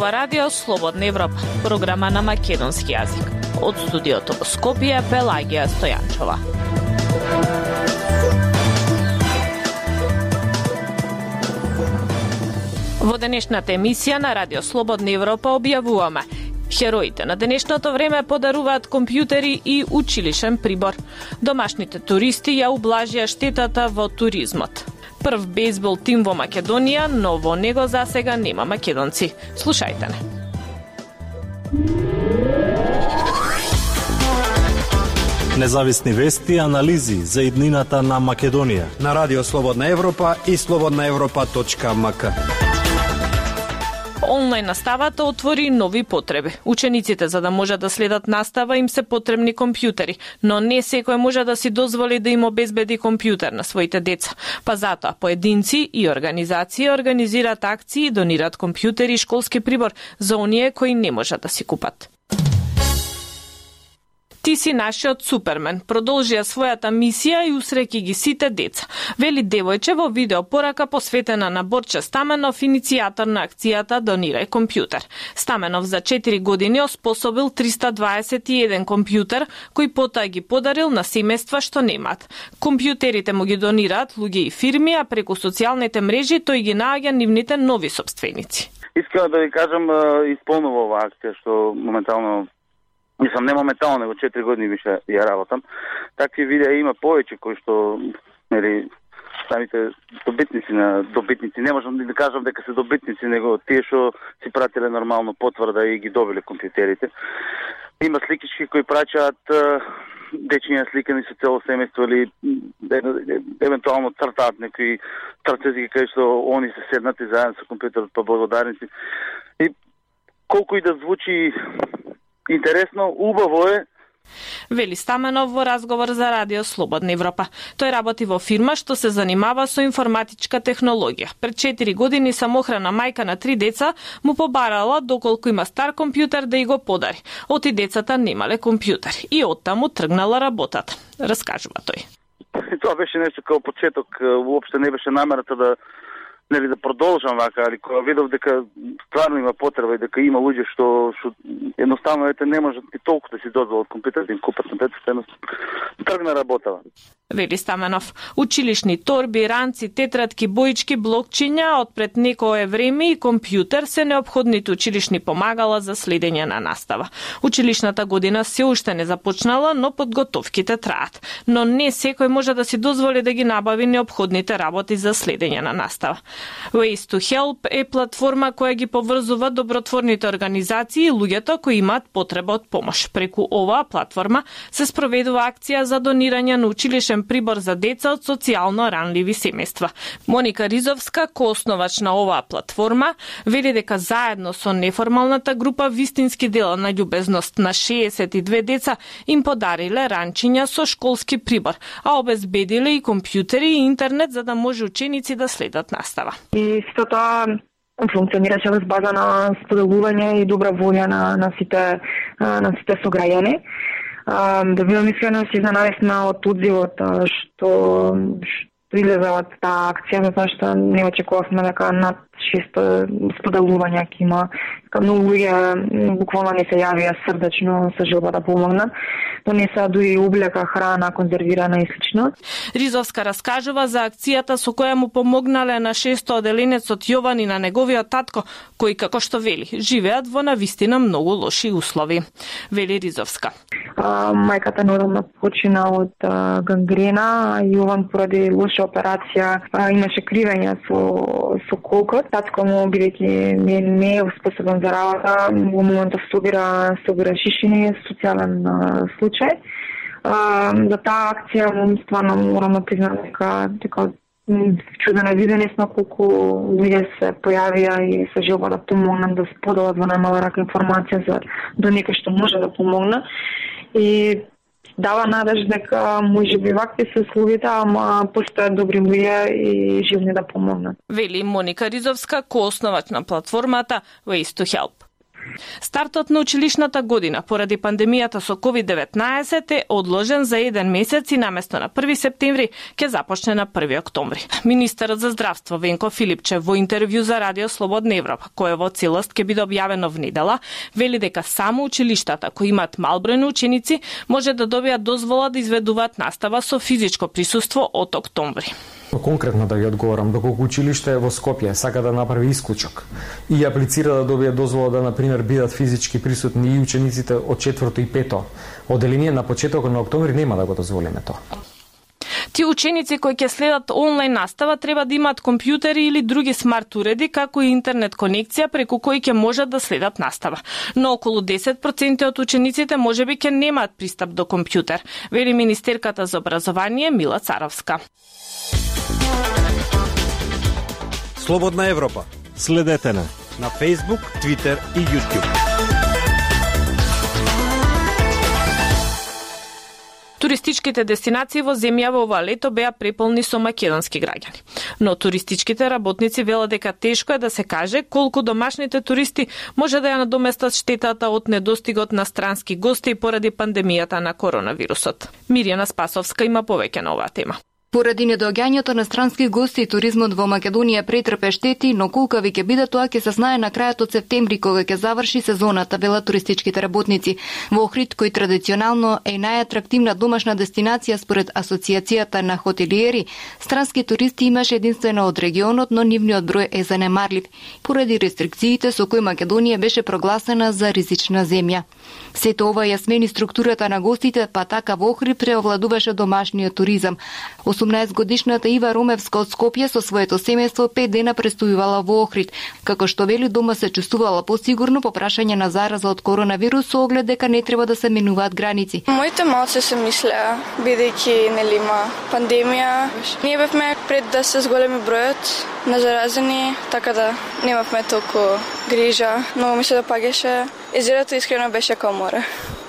ова радио Слободна Европа, програма на македонски јазик. Од студиото во Скопје, Пелагија Стојанчова. Во денешната емисија на Радио Слободна Европа објавуваме: хероите на денешното време подаруваат компјутери и училишен прибор. Домашните туристи ја ублажија штетата во туризмот. Прв бейсбол тим во Македонија, но во него засега нема македонци. Слушајте не. Независни вести и анализи за иднината на Македонија на Радио Слободна Европа и slobodnaevropa.mk. Онлайн наставата отвори нови потреби. Учениците, за да можат да следат настава, им се потребни компјутери, но не секој може да си дозволи да им обезбеди компјутер на своите деца. Па затоа поединци и организации организираат акции и донираат компјутери и школски прибор за оние кои не можат да си купат. Ти си нашиот супермен, продолжија својата мисија и усреќи ги сите деца, вели девојче во видео порака посветена на Борче Стаменов, иницијатор на акцијата Донирај компјутер. Стаменов за 4 години оспособил 321 компјутер, кои потоа ги подарил на семејства што немаат. Компјутерите му ги донираат луѓе и фирми, а преку социјалните мрежи тој ги наоѓа нивните нови сопственици. Искам да ви кажам, исполнува оваа акција што моментално не моментално, него 4 години више ја работам. Такви видеа има повеќе кои што, самите добитници, не можам да кажам дека се добитници, него тие што си пратиле нормално потврда и ги добиле компјутерите. Има сликички кои праќаат дечиња сликани со цело семејство или евентуално цртаат некои трцези кај што они се седнати заедно со компјутерот па благодарници. И колку и да звучи интересно, убаво е. Вели Стаменов во разговор за Радио Слободна Европа. Тој работи во фирма што се занимава со информатичка технологија. Пред 4 години самохрана мајка на 3 деца му побарала доколку има стар компјутер да и го подари. Оти децата немале компјутер и оттаму тргнала работата. Раскажува тој. Тоа беше нешто како почеток, уопште не беше намерата да продолжам вака, али кога видов дека стварно има потреба и дека има луѓе што едноставно не можат и толку да си дозволат компјутер да им купат компјутер, тргна работава. Вели Стаменов, училишни торби, ранци, тетратки, боички, блокчиња од пред некое време и компјутер се неопходните училишни помагала за следење на настава. Училишната година се уште не започнала, но подготовките траат. Но не секој може да си дозволи да ги набави неопходните работи за следење на настава. Ways to Help е платформа која ги поврзува добротворните организации и луѓето кои имаат потреба од помош. Преку оваа платформа се спроведува акција за донирање на училишен прибор за деца од социјално ранливи семејства. Моника Ризовска, коосновач на оваа платформа, вели дека заедно со неформалната група вистински дела на љубезност на 62 деца им подариле ранчиња со школски прибор, а обезбедиле и компјутери и интернет за да може ученици да следат настава. И сето тоа функционираше во база на споделување и добра волја на сите сограѓани. Да бидам искрена, се изненадевме од одзивот што излезе од таа акција, затоа што не очекувавме дека над 600 споделувања ќе има. Многу луѓе буквално не се јавија срдечно со желба да помогнат. Донесаа дури облека, храна, конзервирана и слично. Ризовска раскажува за акцијата со која му помогнале на 600 оделенецот Јован и на неговиот татко, кои, како што вели, живеат во навистина многу лоши услови. Вели Ризовска. Мајката нормално почина од гангрена, Јован поради лоша операција имаше кривење со колкот. Татко му, бидејќи не е способен за работа, во моментот собира шишини, социјален случај. За таа акција, стварно морам да признам дека чудено видење сме колку луѓе се појавија и се желба да помогнат, да споделат во најмала рака информација за до некој што може да помогне. И дава надеж дека можеби вакви се условите, ама постојат добри луѓе и живни да помогнат. Вели Моника Ризовска, коосновач на платформата Ways to Help. Стартот на училишната година поради пандемијата со COVID-19 е одложен за 1 месец и наместо на 1 септември ќе започне на 1 октомври. Министерот за здравство Венко Филипчев во интервју за Радио Слободна Европа, кое во целост ќе биде објавено внедела, вели дека само училиштата кои имаат мал број на ученици може да добијат дозвола да изведуваат настава со физичко присуство од октомври. Конкретно да ви одговорам, доколку училиште во Скопје сака да направи исклучок и аплицира да добие дозвола да, например, бидат физички присутни и учениците од 4-то и 5-то оделение на почетокот на октомври, нема да го дозволиме тоа. Тие ученици кои ќе следат онлайн настава треба да имаат компјутери или други смарт уреди, како и интернет конекција преку кои ќе можат да следат настава. Но околу 10% од учениците можеби ќе немаат пристап до компјутер, вели министерката за образование Мила Царовска. Слободна Европа. Следете на Facebook, Twitter и YouTube. Туристичките дестинации во земјава ова лето беа преполни со македонски граѓани. Но туристичките работници велат дека тешко е да се каже колку домашните туристи може да ја надоместат штетата од недостигот на странски гости поради пандемијата на коронавирусот. Мирјана Спасовска има повеќе на оваа тема. Поради недоаѓањето на странски гости, туризмот во Македонија претрпе штети, но колкави ќе биде тоа ќе се знае на крајот од септември кога ќе заврши сезоната, велат туристичките работници. Во Охрид, кој традиционално е најатрактивна домашна дестинација според Асоциацијата на хотелиери, странски туристи имаше единствено од регионот, но нивниот број е занемарлив поради рестрикциите со кои Македонија беше прогласена за ризична земја. Сето ова ја смени структурата на гостите, па така во Охрид преовладуваше домашниот туризам. 18-годишната Ива Ромевска од Скопје со своето семејство 5 дена престојувала во Охрид, како што вели дома се чувствувала посигурно по прашање на зараза од коронавирус со оглед дека не треба да се менуваат граници. Моите малце се мислеа, бидејќи нели има пандемија. Ние бевме пред да се зголеми бројот на заразени, така да немавме толку грижа, но ми се допаѓаше. Езерото искрено беше као море.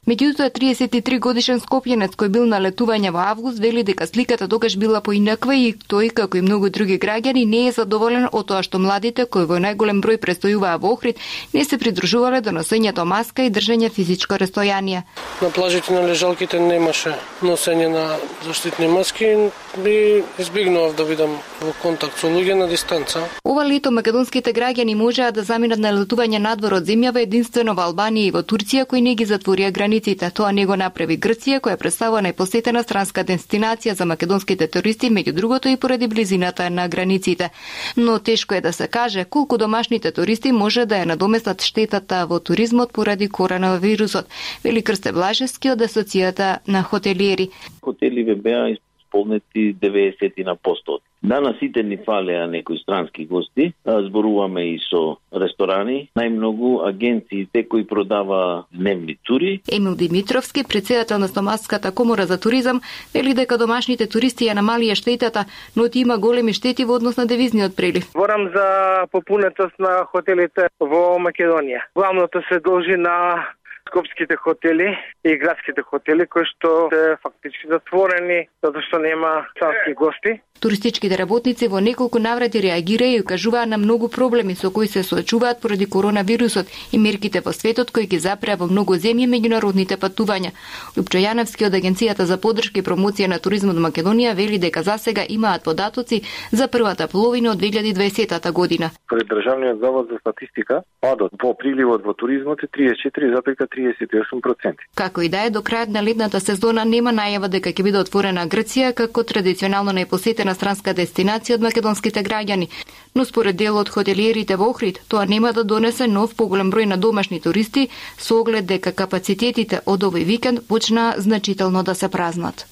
Меѓутоа 33 годишен скопјенец кој бил на летување во август вели дека сликата тогаш била поинаква и тој, како и многу други граѓани, не е задоволен од тоа што младите кои во најголем број престојуваа во Охрид не се придружувале до носењето маска и држење физичко растојание. На плажите на лежалките немаше носење на заштитни маски и избегнував да бидам во контакт со луѓе на дистанца. Ова лето македонските граѓани можеа да заминат на летување надвор од земјава единствено во Албанија и во Турција кои не ги затворија границите. Тоа не го направи Грција, која представува најпосетена странска дестинација за македонските туристи, меѓу другото и поради близината на границите. Но тешко е да се каже колку домашните туристи може да ја надоместат штетата во туризмот поради коронавирусот, вели Крсте Блажевски од Асоцијата на хотелиери. Хотеливе беа исполнети 90%. Данас сите ни фалеа некои странски гости, зборуваме и со ресторани, најмногу агенциите кои продава дневни тури. Емил Димитровски, претседател на Стомаската комора за туризам, вели дека домашните туристи ја намалија штетата, но ти има големи штети во однос на девизниот прилив. Зборам за попунетост на хотелите во Македонија. Главното се должи на скопските хотели и градските хотели кои што се фактички затворени затоа што нема странски гости. Туристичките работници во неколку наврати реагираат и укажуваат на многу проблеми со кои се соочуваат поради коронавирусот и мерките во светот кои ги запреа во многу земји меѓународните патувања. Лупчо Јановски од Агенцијата за поддршка и промоција на туризмот во Македонија вели дека засега имаат податоци за првата половина од 2020 година. Според Државниот завод за статистика, падот во приливот во туризмот е 34,38%. Како и да е, до крајот на летната сезона нема најава дека ќе биде отворена Грција како традиционално најпосетена странска дестинација од македонските граѓани, но според дел од хотелиерите во Охрид, тоа нема да донесе нов поголем број на домашни туристи со оглед дека капацитетите од овој викенд почна значително да се празнат.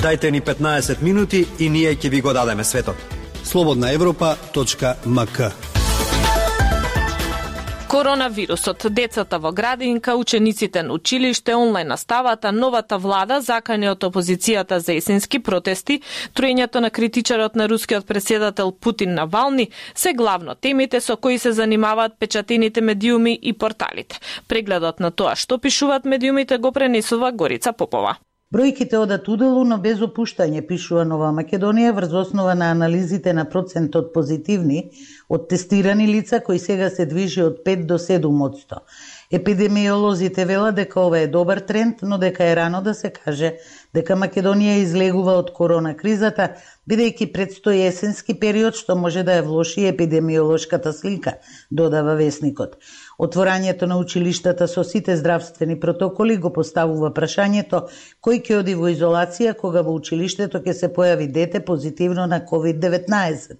Дајте ни 15 минути и ние ќе ви го дадеме светот. slobodnaevropa.mk. Коронавирусот, децата во градинка, учениците на училиште, онлайн наставата, новата влада, закани од опозицијата за есенски протести, троењето на критичарот на рускиот претседател Путин Навални, се главно темите со кои се занимаваат печатените медиуми и порталите. Прегледот на тоа што пишуваат медиумите го пренесува Горица Попова. Бројките одат уделу, но без опуштање, пишува Нова Македонија врз основа на анализите на процентот позитивни од тестирани лица кои сега се движи од 5 до 7%. Епидемиолозите велат дека ова е добар тренд, но дека е рано да се каже дека Македонија излегува од корона кризата, бидејќи предстои есенски период што може да ја влоши епидемиолошката слика, додава весникот. Отворањето на училиштата со сите здравствени протоколи го поставува прашањето кој ќе оди во изолација кога во училиштето ќе се појави дете позитивно на COVID-19.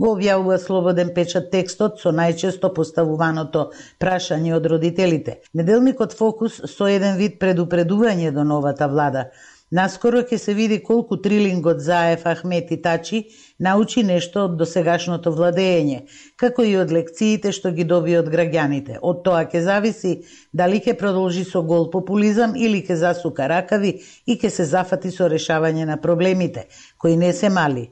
Го објавува Слободен печат текстот со најчесто поставуваното прашање од родителите. Неделникот Фокус со еден вид предупредување до новата влада. Наскоро ќе се види колку трилингот Заев, Ахмет и Тачи научи нешто од досегашното владење, како и од лекциите што ги доби од граѓаните. Од тоа ќе зависи дали ќе продолжи со гол популизам или ќе засука ракави и ќе се зафати со решавање на проблемите, кои не се мали.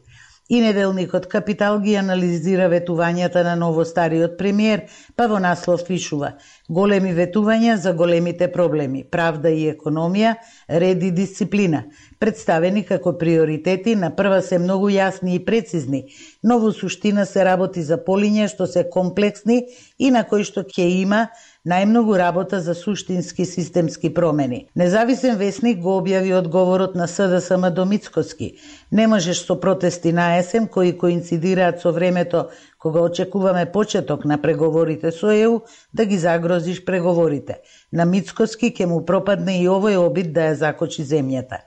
И неделникот Капитал ги анализира ветувањата на новостариот премиер, па во наслов пишува: големи ветувања за големите проблеми, правда и економија, ред и дисциплина, представени како приоритети, на прва се многу јасни и прецизни, но во суштина се работи за полиња што се комплексни и на кои што ќе има најмногу работа за суштински системски промени. Независен весник го објави одговорот на СДСМ до Мицкоски. Не можеш со протести на есен кои коинцидираат со времето кога очекуваме почеток на преговорите со ЕУ, да ги загрозиш преговорите. На Мицкоски ќе му пропадне и овој обид да ја закочи земјата.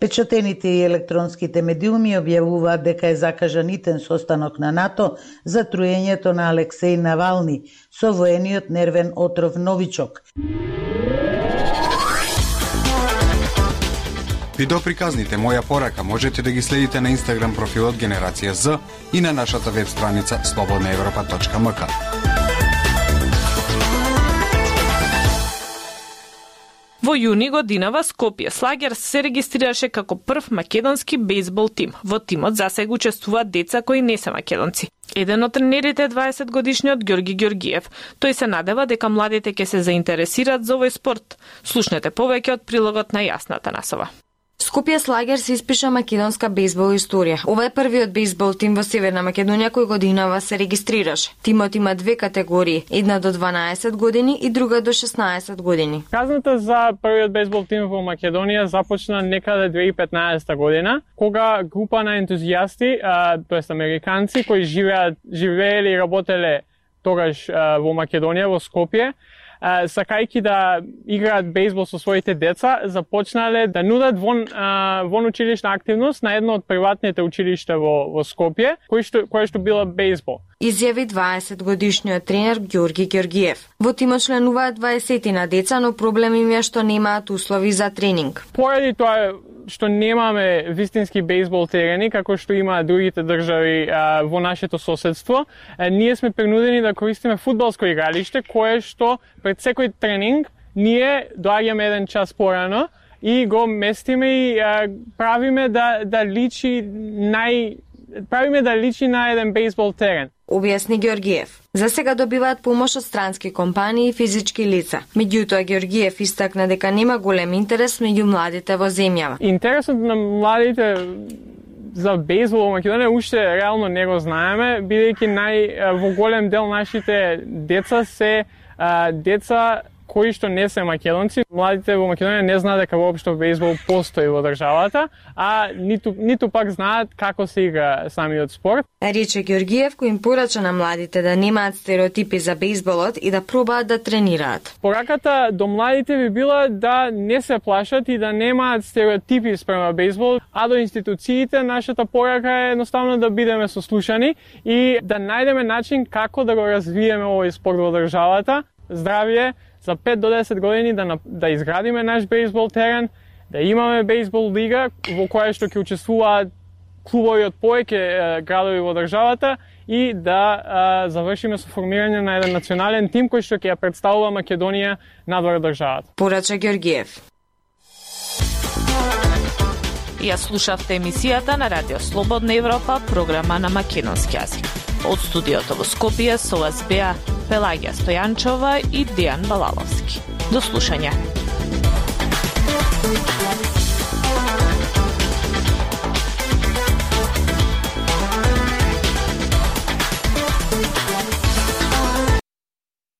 Печатените и електронските медиуми објавуваат дека е закажан итен состанок на НАТО за труењето на Алексеј Навални со воениот нервен отров Новичок. Видеоприказните Моја порака можете да ги следите на Инстаграм профилот Генерација З и на нашата веб страница slobodnaevropa.mk. Во јуни годинава Скопје Слагерс се регистрираше како прв македонски бейсбол тим. Во тимот засега учествуваат деца кои не се македонци. Еден од тренерите е 20-годишниот Ѓорги Ѓоргиев. Тој се надева дека младите ќе се заинтересираат за овој спорт. Слушнете повеќе од прилогот на Јасната Насова. Скопје Слагерс испиша македонска бейсбол историја. Ова е првиот бейсбол тим во Северна Македонија кој годинава се регистрираше. Тимот има две категории, една до 12 години и друга до 16 години. Казната за првиот бейсбол тим во Македонија започна некаде 2015 година, кога група на ентузијасти, тоест американци кои живееле и работеле тогаш во Македонија, во Скопје, сакајќи да играат бейсбол со своите деца, започнале да нудат вон училишна активност на едно од приватните училишта во Скопје, кој што била бейсбол. Изјави 20-годишниот тренер Ѓорги Ѓоргиев. Во тимот членуваат 20 на деца, но проблем им е што немаат услови за тренинг. Поради тоа што немаме вистински бейсбол терени, како што има другите држави во нашето соседство, ние сме принудени да користиме фудбалско игралиште, кое што пред секој тренинг ние доаѓаме еден час порано и го местиме и правиме да личи на еден бейсбол терен. Објасни Ѓоргиев. За сега добиваат помош од странски компании и физички лица. Меѓутоа Ѓоргиев истакна дека нема голем интерес меѓу младите во земјава. Интересот на младите за бейсбол во Македонија уште реално не го знаеме, бидејќи во голем дел нашите деца се деца кои што не се македонци. Младите во Македонија не знаат дека воопшто бейсбол постои во државата, а ниту пак знаат како се игра самиот спорт. Рече Ѓоргиев, кој им порача на младите да немаат стереотипи за бейсболот и да пробаат да тренираат. Пораката до младите би била да не се плашат и да немаат стереотипи спрема бейсбол, а до институциите нашата порака е едноставно да бидеме сослушани и да најдеме начин како да го развиеме овој спорт во државата. Здравје, за 5 до 10 години да изградиме наш бейсбол терен, да имаме бейсбол лига во која што ќе учествуваат клубови од повеќе градови во државата и да завршиме со формирање на еден национален тим кој што ќе ја представува Македонија надвор државата. Порача Ѓоргиев. Ја слушавте емисијата на Радио Слободна Европа, програма на македонски јазик. Од студиото во Скопје со вас беа Пелагија Стојанчова и Дејан Балаловски. До слушање.